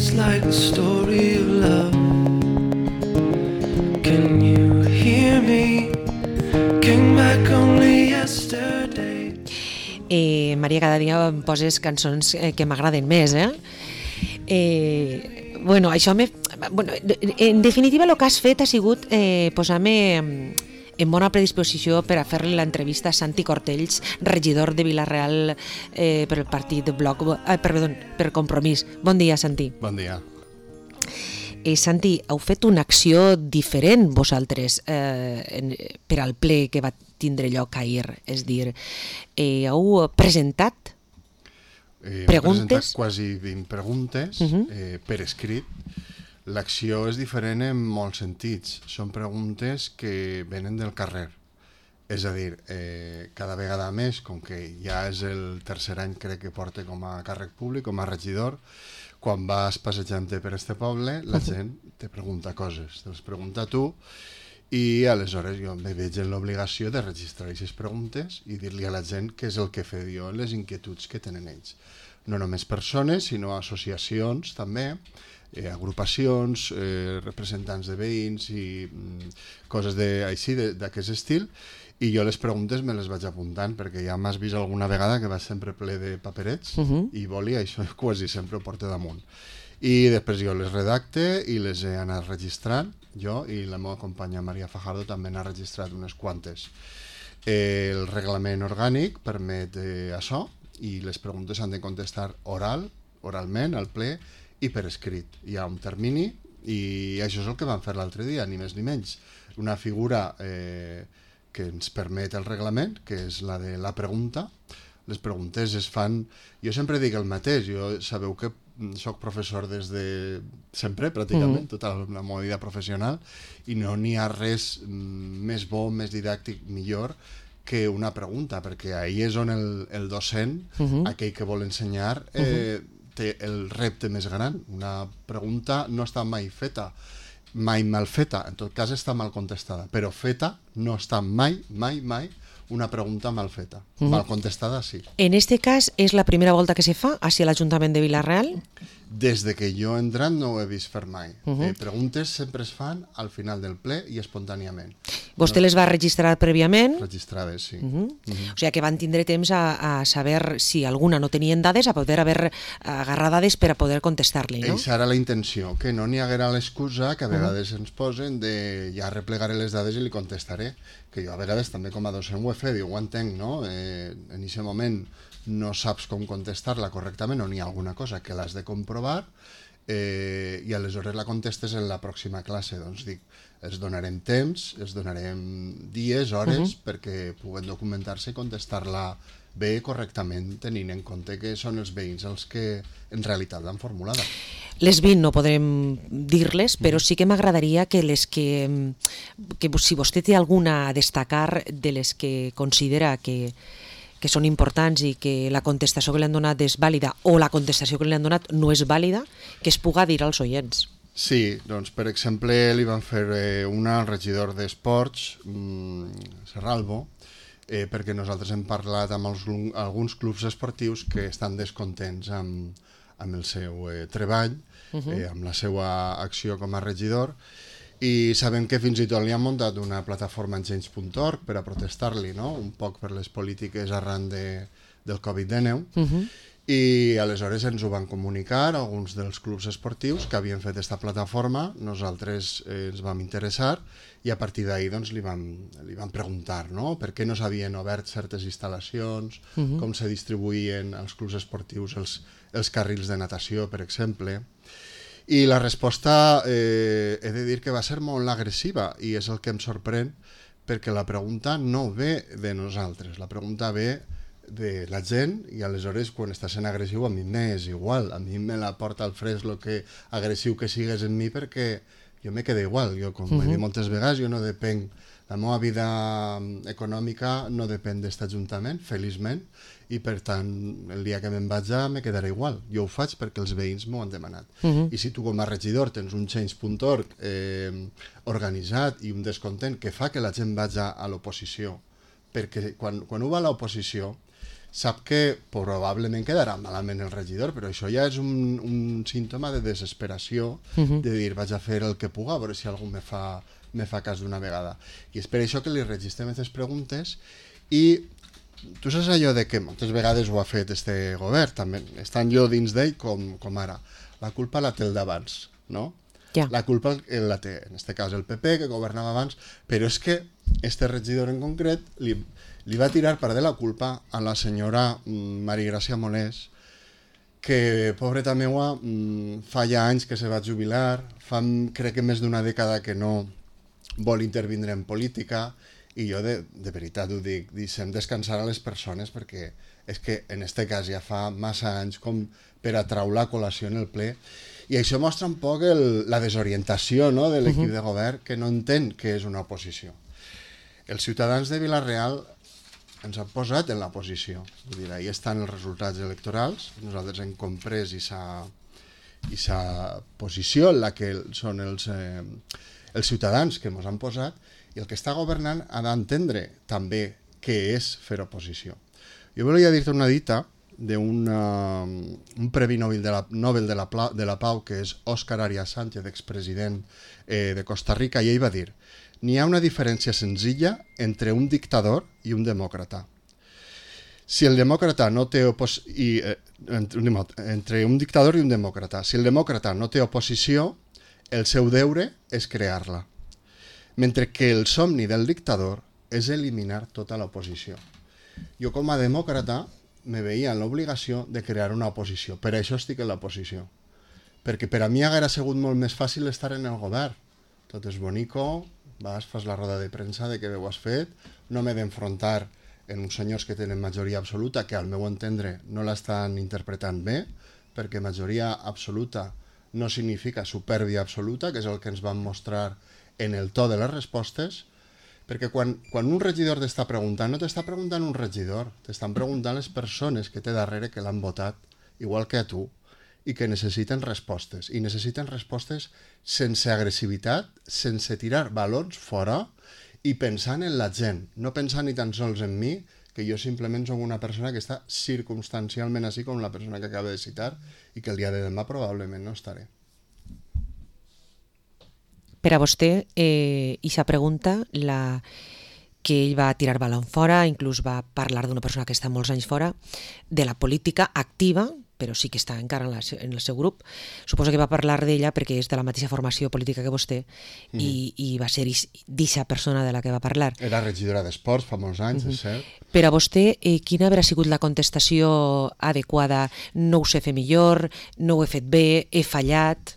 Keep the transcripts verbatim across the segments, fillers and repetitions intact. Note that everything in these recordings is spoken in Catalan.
It's like a story of love. Can you hear me? Came back only yesterday. Eh, Maria, cada dia em poses cançons eh, que m'agraden més, eh? Eh, bueno, això me... Bueno, en definitiva, el que has fet ha sigut eh, posar-me en bona predisposició per a fer-li l'entrevista a Santi Cortells, regidor de Vila-real eh, per el partit Bloc, eh, perdó, per Compromís. Bon dia, Santi. Bon dia. Eh, Santi, heu fet una acció diferent vosaltres eh, en, per al ple que va tindre lloc ahir, és dir, eh, heu presentat eh, preguntes? Hem presentat quasi vint preguntes uh -huh. eh, per escrit. L'acció és diferent en molts sentits. Són preguntes que venen del carrer. És a dir, eh, cada vegada més, com que ja és el tercer any crec que porta com a càrrec públic, com a regidor, quan vas passejant-te per este poble, la gent te pregunta coses, te les pregunta a tu, i aleshores jo me veig en l'obligació de registrar aquestes preguntes i dir-li a la gent què és el que fe jo en les inquietuds que tenen ells. No només persones, sinó associacions també, eh, agrupacions, eh, representants de veïns i mm, coses de, així d'aquest estil, i jo les preguntes me les vaig apuntant perquè ja m'has vist alguna vegada que vaig sempre ple de paperets uh -huh. i boli, això quasi sempre ho porto damunt. I després jo les redacte i les he anat registrant, jo i la meva companya Maria Fajardo també n'ha registrat unes quantes. Eh, el reglament orgànic permet eh, això i les preguntes s'han de contestar oral, oralment, al ple i per escrit. Hi ha un termini i això és el que vam fer l'altre dia, ni més ni menys. Una figura eh, que ens permet el reglament, que és la de la pregunta. Les preguntes es fan... Jo sempre dic el mateix, jo sabeu que soc professor des de sempre, pràcticament, mm. tota la meva vida professional, i no n'hi ha res més bo, més didàctic, millor que una pregunta, perquè ahí és on el, el docent, uh -huh. aquell que vol ensenyar, eh, uh -huh. té el repte més gran. Una pregunta no està mai feta, mai mal feta, en tot cas està mal contestada, però feta no està mai, mai, mai una pregunta mal feta. Uh -huh. Mal contestada, sí. En este cas, és la primera volta que se fa hacia l'Ajuntament de Vila-real? Des de que jo he entrat no ho he vist fer mai. Uh -huh. eh, preguntes sempre es fan al final del ple i espontàniament. Vostè no? les va registrar prèviament? Registrades, sí. Uh -huh. Uh -huh. O sigui que van tindre temps a, a saber si alguna no tenien dades, a poder haver agarrar dades per a poder contestar-li, no? Eixa era la intenció, que no n'hi haguera l'excusa que a vegades uh -huh. ens posen de ja replegaré les dades i li contestaré, que jo a vegades també com a docent ho he fet, ho entenc, no? Eh, en aquest moment no saps com contestar-la correctament o n'hi ha alguna cosa que l'has de comprovar eh, i aleshores la contestes en la pròxima classe. Doncs dic, els donarem temps, els donarem dies, hores, uh -huh. perquè puguen documentar-se i contestar-la bé correctament, tenint en compte que són els veïns els que en realitat l'han formulada. Les vint no podrem dir-les, però sí que m'agradaria que les que, que si vostè té alguna a destacar de les que considera que, que són importants i que la contestació que li han donat és vàlida o la contestació que li han donat no és vàlida, que es puga dir als oients. Sí, doncs per exemple li van fer eh, una al regidor d'Esports, mmm, Serralbo, eh, perquè nosaltres hem parlat amb els, alguns clubs esportius que estan descontents amb, amb el seu eh, treball, uh -huh. eh, amb la seva acció com a regidor, i sabem que fins i tot li han muntat una plataforma en change punt org per a protestar-li, no? Un poc per les polítiques arran de, del covid dinou, uh -huh. i aleshores ens ho van comunicar alguns dels clubs esportius que havien fet aquesta plataforma, nosaltres eh, ens vam interessar i a partir d'ahir doncs, li, vam, li vam preguntar, no? Per què no s'havien obert certes instal·lacions, uh -huh. com se distribuïen als clubs esportius els, els carrils de natació, per exemple. I la resposta eh, he de dir que va ser molt agressiva i és el que em sorprèn perquè la pregunta no ve de nosaltres, la pregunta ve de la gent i aleshores quan està sent agressiu a mi m'és igual, a mi me la porta al fresc el que agressiu que sigues en mi perquè jo me queda igual, jo com uh -huh. he dit moltes vegades jo no depenc, la meva vida econòmica no depèn d'aquest ajuntament, feliçment, i per tant el dia que me'n vaig ja me quedarà igual, jo ho faig perquè els veïns m'ho han demanat. Uh -huh. I si tu com a regidor tens un change punt org eh, organitzat i un descontent que fa que la gent vagi a l'oposició, perquè quan, quan ho va a l'oposició sap que probablement quedarà malament el regidor, però això ja és un, un símptoma de desesperació, uh-huh. de dir vaig a fer el que puga, a veure si algú me fa, me fa cas d'una vegada. I és per això que li registrem aquestes preguntes i tu saps allò de que moltes vegades ho ha fet este govern, també estan jo dins d'ell com, com ara. La culpa la té el d'abans, no? Ja. La culpa la té, en este cas, el P P, que governava abans, però és que este regidor en concret li, li va tirar part de la culpa a la senyora Maria Gràcia Molés, que, pobreta meua, fa ja anys que se va jubilar, fa crec que més d'una dècada que no vol intervindre en política, i jo de, de veritat ho dic, deixem descansar a les persones perquè és que en este cas ja fa massa anys com per atraure la col·lació en el ple. I això mostra un poc el, la desorientació, no?, de l'equip uh-huh. de govern, que no entén què és una oposició. Els ciutadans de Vila-real ens han posat en la posició. Vull dir, ahí estan els resultats electorals, nosaltres hem comprès aquesta posició en la que són els, eh, els ciutadans que ens han posat, i el que està governant ha d'entendre també què és fer oposició. Jo volia dir-te una dita d'un un Premi Nobel de la, Nobel de la, de la Pau, que és Òscar Arias Sánchez, expresident eh, de Costa Rica, i ell va dir: n'hi ha una diferència senzilla entre un dictador i un demòcrata. Si el demòcrata no té opos... I, eh, entre, entre un dictador i un demòcrata. Si el demòcrata no té oposició, el seu deure és crear-la. Mentre que el somni del dictador és eliminar tota l'oposició. Jo com a demòcrata me veia en l'obligació de crear una oposició. Per això estic en l'oposició. Perquè per a mi hauria sigut molt més fàcil estar en el govern. Tot és bonico, vas, fas la roda de premsa de què bé ho has fet, no m'he d'enfrontar en uns senyors que tenen majoria absoluta, que al meu entendre no l'estan interpretant bé, perquè majoria absoluta no significa supèrbia absoluta, que és el que ens van mostrar en el to de les respostes, perquè quan, quan un regidor t'està preguntant, no t'està preguntant un regidor, t'estan preguntant les persones que té darrere que l'han votat, igual que a tu, i que necessiten respostes. I necessiten respostes sense agressivitat, sense tirar balons fora i pensant en la gent, no pensant ni tan sols en mi, que jo simplement soc una persona que està circumstancialment així com la persona que acaba de citar i que el dia de demà probablement no estaré. Per a vostè, eh, ixa pregunta, la que ell va tirar balon fora, inclús va parlar d'una persona que està molts anys fora, de la política activa, però sí que està encara en, la, en el seu grup. Suposo que va parlar d'ella perquè és de la mateixa formació política que vostè mm. i, i va ser d'eixa persona de la que va parlar. Era regidora d'Esports fa molts anys, mm-hmm. és cert. Per a vostè, eh, quina haurà sigut la contestació adequada? No ho sé fer millor, no ho he fet bé, he fallat...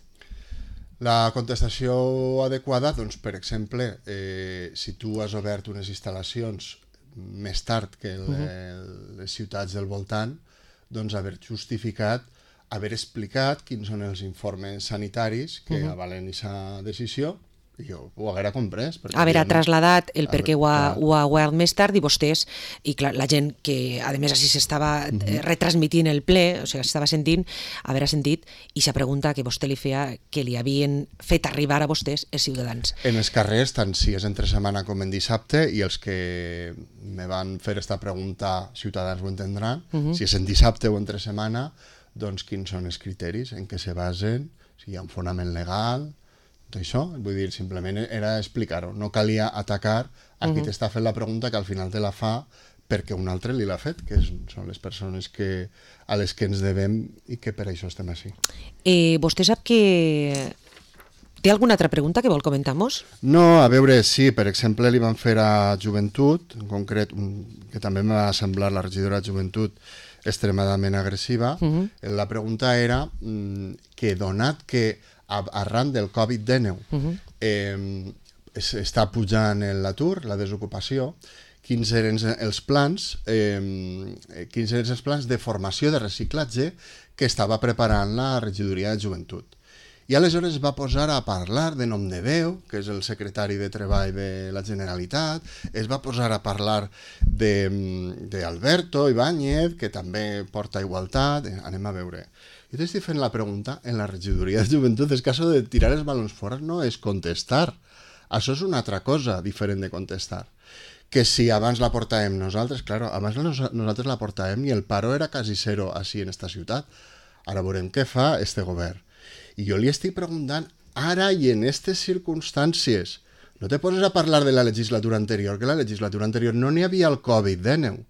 La contestació adequada, doncs, per exemple, eh, si tu has obert unes instal·lacions més tard que el, uh-huh. les ciutats del voltant, doncs haver justificat, haver explicat quins són els informes sanitaris que uh-huh. avalen aquesta decisió, i jo ho haguera comprès. Haver no... trasladat el per què ho ha, ho ha guanyat més tard i vostès, i clar, la gent que a més així s'estava uh-huh. retransmitint el ple, o sigui, s'estava sentint, haver sentit, i la pregunta que vostè li feia, que li havien fet arribar a vostès els ciutadans. En els carrers, tant si és entre setmana com en dissabte, i els que me van fer esta pregunta, ciutadans ho entendran, uh-huh. si és en dissabte o entre setmana, doncs quins són els criteris en què se basen, si hi ha un fonament legal... Tot això, vull dir, simplement era explicar-ho, no calia atacar a qui uh-huh. t'està fent la pregunta que al final te la fa perquè un altre li l'ha fet, que és, són les persones que, a les que ens devem i que per això estem així. Eh, vostè sap que... Té alguna altra pregunta que vol comentar-nos? No, a veure, sí, per exemple li van fer a Joventut, en concret, que també m'ha semblat la regidora de Joventut extremadament agressiva, uh-huh. la pregunta era que donat que arran del covid dinou uh-huh. eh, està pujant l'atur, la desocupació, quins eren els plans eh, quins eren els plans de formació de reciclatge que estava preparant la regidoria de Joventut. I aleshores va posar a parlar de nom de veu, que és el secretari de Treball de la Generalitat, es va posar a parlar d'Alberto Ibáñez, que també porta igualtat, anem a veure. Jo t'estic fent la pregunta en la regidoria de Joventut, és que això de tirar els balons fora no és contestar. Això és una altra cosa diferent de contestar. que si abans la portàvem nosaltres, claro, abans nos, nosaltres la portàvem i el paro era quasi zero així en esta ciutat. Ara veurem què fa este govern. I jo li estic preguntant, ara i en aquestes circumstàncies, no te poses a parlar de la legislatura anterior, que la legislatura anterior no n'hi havia el covid dinou.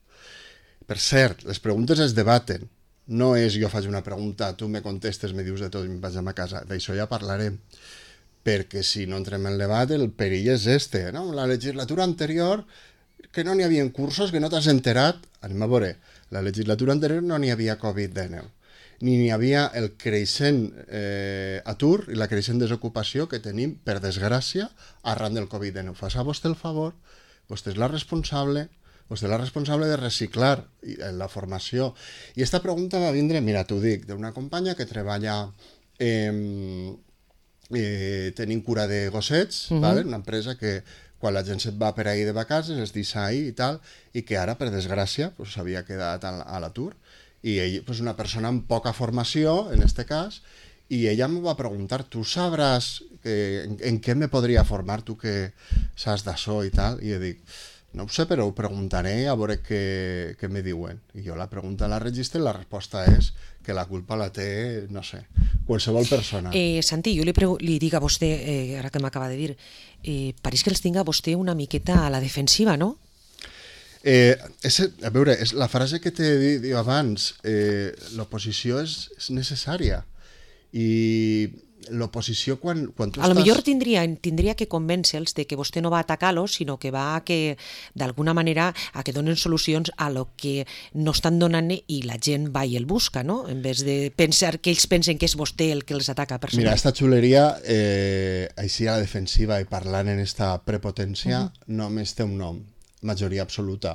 Per cert, les preguntes es debaten. No és jo faig una pregunta, tu me contestes, me dius de tot i em vaig a casa. D'això ja parlarem. Perquè si no entrem en el debat, el perill és este. No? La legislatura anterior, que no n'hi havia cursos, que no t'has enterat. Anem a veure, la legislatura anterior no n'hi havia covid dinou. Ni n'hi havia el creixent eh, atur i la creixent desocupació que tenim, per desgràcia, arran del covid dinou. Fas a vostè el favor, vostè és la responsable, vostè és la responsable de reciclar la formació. I aquesta pregunta va vindre, mira, t'ho dic, d'una companya que treballa eh, eh, tenint cura de gossets, uh-huh. ¿vale? Una empresa que quan la gent se't va per ahir de vacances, es deixa ahir i tal, i que ara, per desgràcia, pues, s'havia quedat a l'atur. I ell, pues, una persona amb poca formació, en este cas, i ella em va preguntar, tu sabràs que, en, en què me podria formar, tu que saps d'això i tal? I jo dic, no ho sé, però ho preguntaré a veure què, què me diuen. I jo la pregunta la registre i la resposta és que la culpa la té, no sé, qualsevol persona. Eh, Santi, jo li, li dic a vostè, eh, ara que m'acaba de dir, eh, pareix que els tinga vostè una miqueta a la defensiva, no? Eh, és, a veure, és la frase que t'he dit abans, eh, l'oposició és, és necessària i l'oposició quan, quan tu a lo estàs... millor tindria, tindria que convèncer-los de que vostè no va atacar-los, sinó que va a que, d'alguna manera, a que donen solucions a lo que no estan donant i la gent va i el busca, no? En vez de pensar que ells pensen que és vostè el que els ataca personalment. Mira, esta xuleria, eh, així a la defensiva i parlant en esta prepotència, uh-huh. només té un nom, majoria absoluta.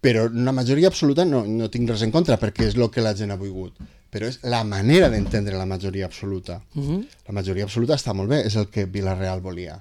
Però una majoria absoluta no, no tinc res en contra, perquè és el que la gent ha volgut. Però és la manera d'entendre la majoria absoluta. Uh-huh. La majoria absoluta està molt bé, és el que Vila-real volia.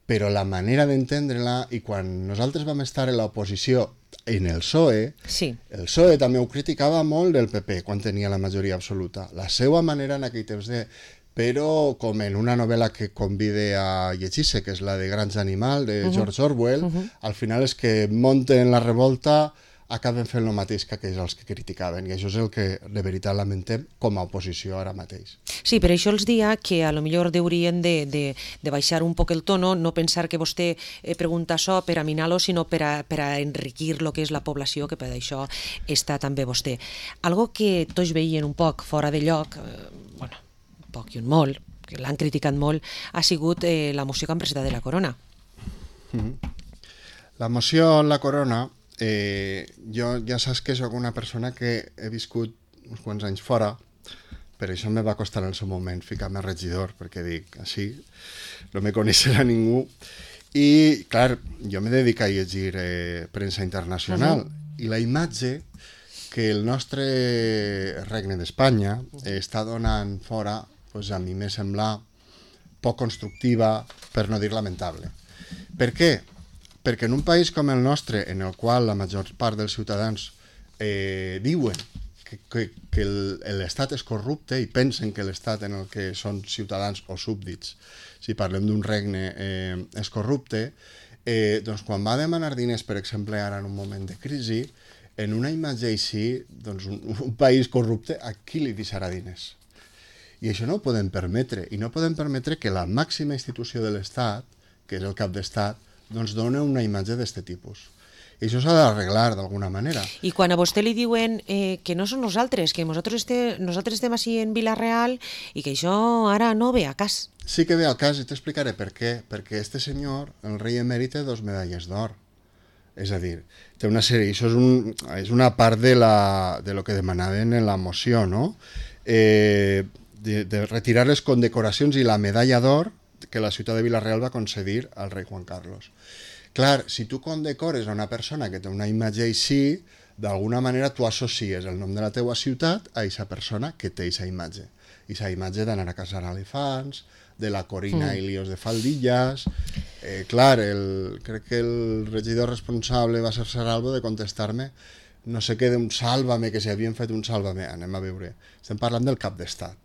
Però la manera d'entendre-la, i quan nosaltres vam estar en l'oposició en el P S O E, sí. el P S O E també ho criticava molt del P P quan tenia la majoria absoluta. La seva manera en aquell temps de... Però com en una novel·la que convide a llegir-se, que és la de Granja Animal, de uh-huh. George Orwell, uh-huh. al final és que munten la revolta, acaben fent el mateix que aquells els que criticaven, i això és el que de veritat lamentem com a oposició ara mateix. Sí, per això els dia que a lo millor haurien de, de, de baixar un poc el tono, no pensar que vostè eh, pregunta això per a minar-lo, sinó per a, per a enriquir el que és la població, que per això està també vostè. Algo que tots veien un poc fora de lloc, eh, bueno, poc i un molt, que l'han criticat molt, ha sigut eh, la moció que han presentat de la Corona. Mm-hmm. La moció en la Corona, eh, jo ja saps que soc una persona que he viscut uns quants anys fora, per això me va costar en el seu moment ficar-me regidor, perquè dic, així no me coneixerà ningú. I, clar, jo me dedico a llegir eh, premsa internacional, uh-huh. i la imatge que el nostre regne d'Espanya eh, està donant fora, pues a mi me sembla poc constructiva, per no dir lamentable. Per què? Perquè en un país com el nostre, en el qual la major part dels ciutadans eh, diuen que, que, que l'Estat és corrupte i pensen que l'Estat en el que són ciutadans o súbdits, si parlem d'un regne, eh, és corrupte, eh, doncs quan va demanar diners, per exemple, ara en un moment de crisi, en una imatge així, doncs un, un país corrupte, a qui li deixarà diners? I això no ho podem permetre, i no podem permetre que la màxima institució de l'Estat, que és el cap d'Estat, doncs dona una imatge d'aquest tipus. I això s'ha d'arreglar d'alguna manera. I quan a vostè li diuen eh, que no són nosaltres, que nosaltres, este, nosaltres estem així en Vila-real i que això ara no ve a cas. Sí que ve al cas, i t'explicaré per què. Perquè este senyor, el rei emèrit, té dos medalles d'or. És a dir, té una sèrie, això és, un, és una part de, la, de lo que demanaven en la moció, no? Eh, de, de retirar les condecoracions i la medalla d'or que la ciutat de Vila-real va concedir al rei Juan Carlos. Clar, si tu condecores a una persona que té una imatge així, d'alguna manera tu associes el nom de la teua ciutat a aquesta persona que té aquesta imatge. Aquesta imatge d'anar a caçar elefants, de la Corina mm. i líos de faldilles... Eh, clar, el, crec que el regidor responsable va ser Saralbo de contestar-me no sé què d'un sàlvame, que si havien fet un sàlvame. Anem a veure. Estem parlant del cap d'estat.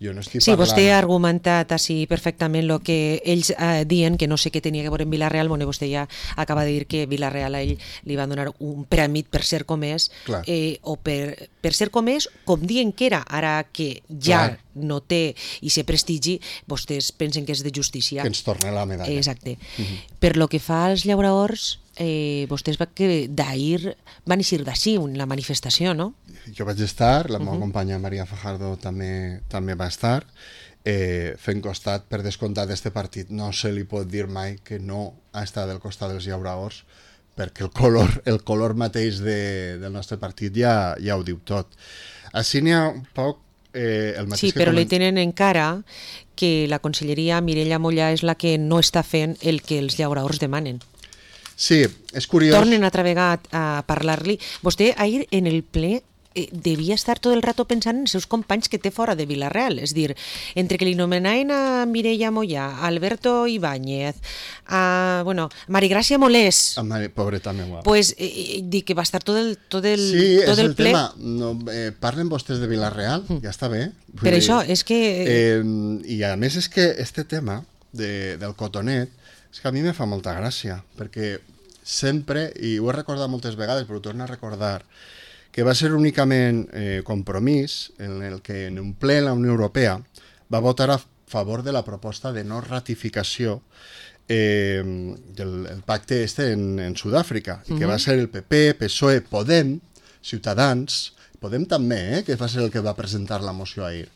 Jo no estic Sí, parlant... vostè ha argumentat així perfectament el que ells eh, diuen, que no sé què tenia que veure amb Vila-real. Bueno, vostè ja acaba de dir que Vila-real a ell li van donar un prèmit per ser com és, eh, o per, per ser com és, com diuen que era, ara que ja Clar. no té i se prestigi, vostès pensen que és de justícia. Que ens torna la medalla. Exacte. Uh-huh. Per lo que fa als llauradors, eh, vostès va que d'ahir van eixir d'ací la manifestació, no? Jo vaig estar, la meva uh-huh. companya Maria Fajardo també també va estar, eh, fent costat, per descomptat d'este partit. No se li pot dir mai que no ha estat del costat dels llauradors, perquè el color, el color mateix de, del nostre partit ja, ja ho diu tot. Així n'hi ha un poc eh, el mateix sí, que... però coment... li tenen encara que la conselleria Mireia Mollà és la que no està fent el que els llauradors demanen. Sí, és curiós... Tornen altra vegada a parlar-li. Vostè ahir en el ple eh, devia estar tot el rato pensant en els seus companys que té fora de Vila-real. És dir, entre que li nomenaven a Mireia Mollà, a Alberto Ibáñez, a, bueno, Marigràcia Molés... A Mari, pobreta meva. Pues, eh, dic que va estar tot el, tot el, sí, tot és el el ple... tema. No, eh, parlen vostès de Vila-real, mm. ja està bé. Vull per dir, això, és que... Eh, I a més és que este tema de, del cotonet, és que a mi me fa molta gràcia, perquè sempre, i ho he recordat moltes vegades, però ho torno a recordar, que va ser únicament eh, Compromís en el que en un ple la Unió Europea va votar a favor de la proposta de no ratificació eh, del el pacte este en, en Sud-àfrica, uh-huh. i que va ser el P P, P S O E, Podem, Ciutadans, Podem també, eh, que va ser el que va presentar la moció ahir,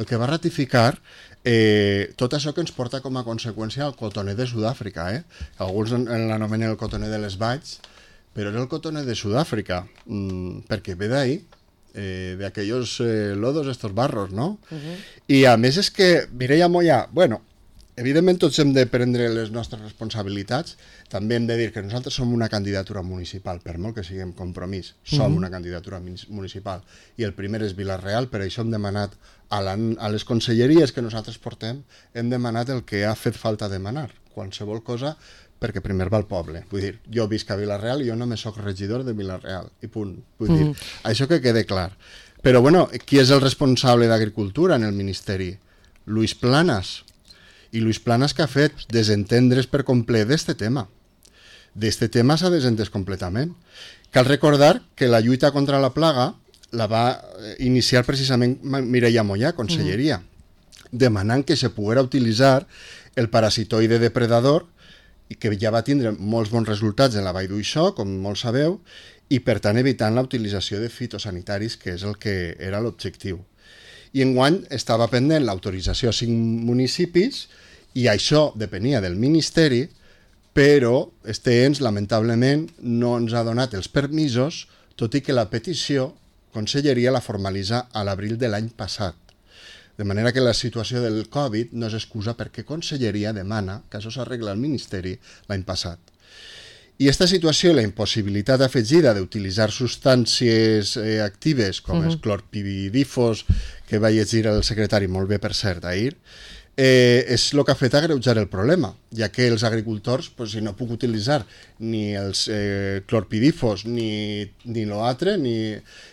el que va ratificar eh, tot això que ens porta com a conseqüència el cotoner de Sud-àfrica. Eh? Alguns l'anomenen el cotoner de les valls, però era el cotoner de Sud-àfrica, mm, perquè ve d'ahí, eh, d'aquells eh, lodos, estos barros, no? Uh-huh. I a més és que Mireia Mollà, bueno, evidentment tots hem de prendre les nostres responsabilitats, també hem de dir que nosaltres som una candidatura municipal, per molt que siguem Compromís, som uh-huh. una candidatura municipal, i el primer és Vila-real, per això hem demanat a, la, a les conselleries que nosaltres portem, hem demanat el que ha fet falta demanar, qualsevol cosa, perquè primer va al poble. Vull dir, jo visc a Vila-real i jo només soc regidor de Vila-real, i punt. Vull dir, mm. això que quede clar. Però, bueno, qui és el responsable d'Agricultura en el Ministeri? Luis Planas. I Luis Planas que ha fet desentendre's per complet d'este tema. D'este tema s'ha desentès completament. Cal recordar que la lluita contra la plaga la va iniciar precisament Mireia Mollà, conselleria, mm. demanant que se poguera utilitzar el parasitoide depredador, i que ja va tindre molts bons resultats en la Vall d'Uixó, com molts sabeu, i per tant evitant la utilització de fitosanitaris, que és el que era l'objectiu. I enguany estava pendent l'autorització a cinc municipis, i això depenia del Ministeri, però este ens, lamentablement, no ens ha donat els permisos, tot i que la petició, Conselleria la formalitza a l'abril de l'any passat. De manera que la situació del Covid no és excusa perquè Conselleria demana que això s'arregla al Ministeri l'any passat. I aquesta situació i la impossibilitat afegida d'utilitzar substàncies eh, actives com uh-huh. els clorpidifos, que va llegir el secretari molt bé, per cert, ahir, eh, és el que ha fet agreujar el problema, ja que els agricultors, pues, si no puc utilitzar ni els eh, clorpidifos ni, ni l'altre, ni...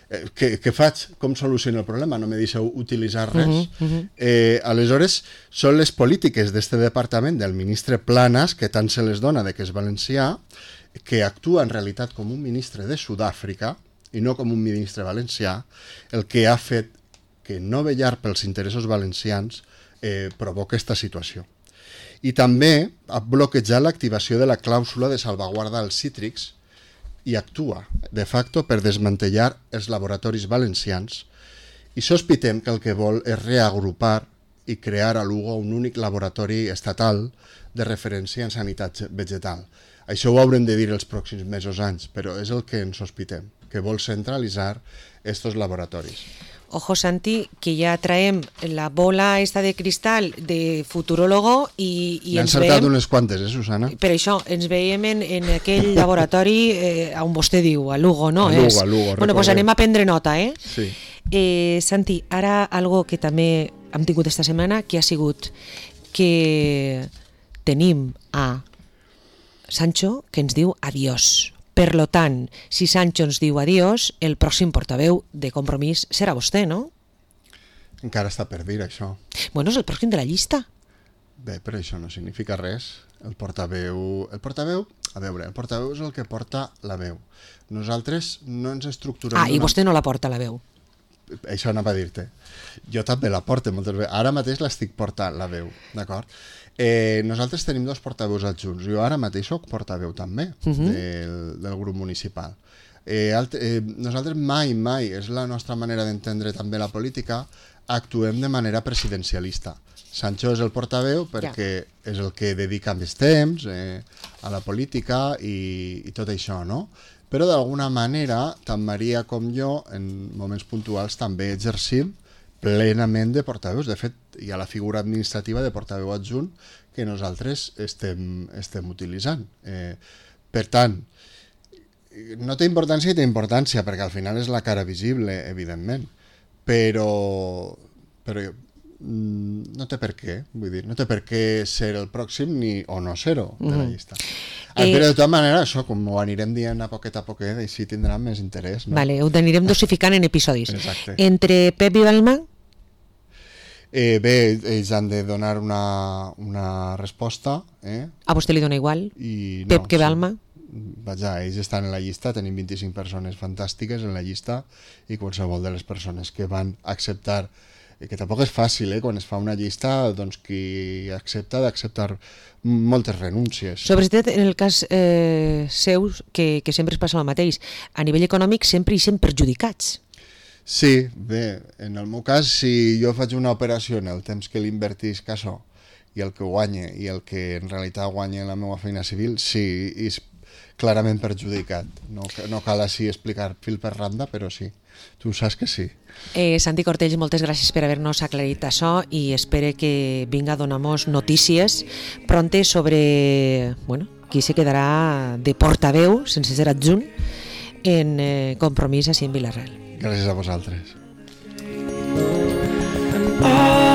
Eh, què, què faig? Com soluciono el problema? No me deixeu utilitzar res. Uh-huh, uh-huh. Eh, aleshores, són les polítiques d'este departament del ministre Planas, que tant se les dona de que és valencià, que actua en realitat com un ministre de Sud-àfrica i no com un ministre valencià, el que ha fet que no vetllar pels interessos valencians eh, provoca aquesta situació. I també ha bloquejat l'activació de la clàusula de salvaguarda als cítrics i actua, de facto, per desmantellar els laboratoris valencians, i sospitem que el que vol és reagrupar i crear a Lugo un únic laboratori estatal de referència en sanitat vegetal. Això ho haurem de dir els pròxims mesos, anys, però és el que ens sospitem, que vol centralitzar estos laboratoris. Ojo, Santi, que ja traem la bola esta de cristal de futurólogo i, i ens veiem... N'han saltat unes quantes, eh, Susana? Per això, ens veiem en, en aquell laboratori eh, on vostè diu, a Lugo, no? A Lugo, és? a Lugo. Bueno, doncs pues anem a prendre nota, eh? Sí. Eh, Santi, ara algo que també hem tingut esta setmana, que ha sigut que tenim a Sancho que ens diu adiós. Per lo tant, si Sancho ens diu adiós, el pròxim portaveu de Compromís serà vostè, no? Encara està per dir, això. Bueno, és el pròxim de la llista. Bé, però això no significa res. El portaveu... El portaveu, a veure, el portaveu és el que porta la veu. Nosaltres no ens estructurem... Ah, i vostè no la porta, la veu. Això anava a dir-te. Jo també la porto moltes vegades. Ara mateix l'estic portant, la veu, d'acord? Eh, nosaltres tenim dos portaveus adjunts. Jo ara mateix soc portaveu també uh -huh. del, del grup municipal. Eh, alt, eh, nosaltres mai, mai, és la nostra manera d'entendre també la política, actuem de manera presidencialista. Sancho és el portaveu perquè ja. és el que dedica més temps eh, a la política i, i tot això, no? Però d'alguna manera, tant Maria com jo, en moments puntuals, també exercim plenament de portaveus. De fet, hi ha la figura administrativa de portaveu adjunt que nosaltres estem, estem utilitzant. Eh, per tant, no té importància i té importància, perquè al final és la cara visible, evidentment, però, però no té per què, vull dir, no té per què ser el pròxim ni o no ser-ho de la llista. Eh, però de tota manera, això, com ho anirem dient a poquet a poquet, així tindrà més interès. No? Vale, ho anirem dosificant en episodis. Exacte. Entre Pep i Balma? Eh, bé, ells han de donar una, una resposta. Eh? A vostè li dona igual? I no, Pep que Balma? Sí. Vaja, ells estan en la llista, tenim vint-i-cinc persones fantàstiques en la llista i qualsevol de les persones que van acceptar, que tampoc és fàcil, eh? Quan es fa una llista, doncs qui accepta d'acceptar moltes renúncies. Sobretot en el cas eh, seu, que, que sempre es passa el mateix, a nivell econòmic sempre hi sent perjudicats. Sí, bé, en el meu cas, si jo faig una operació en el temps que l'invertisc això i el que guanye i el que en realitat guanya en la meva feina civil, sí, és clarament perjudicat. No, no cal així explicar fil per randa, però sí. Tu saps que sí. Eh, Santi Cortells, moltes gràcies per haver-nos aclarit això i espero que vinga a donar-nos notícies pronte sobre bueno, qui se quedarà de portaveu, sense ser adjunt, en eh, Compromís així en Vila-real. Gràcies a vosaltres. And all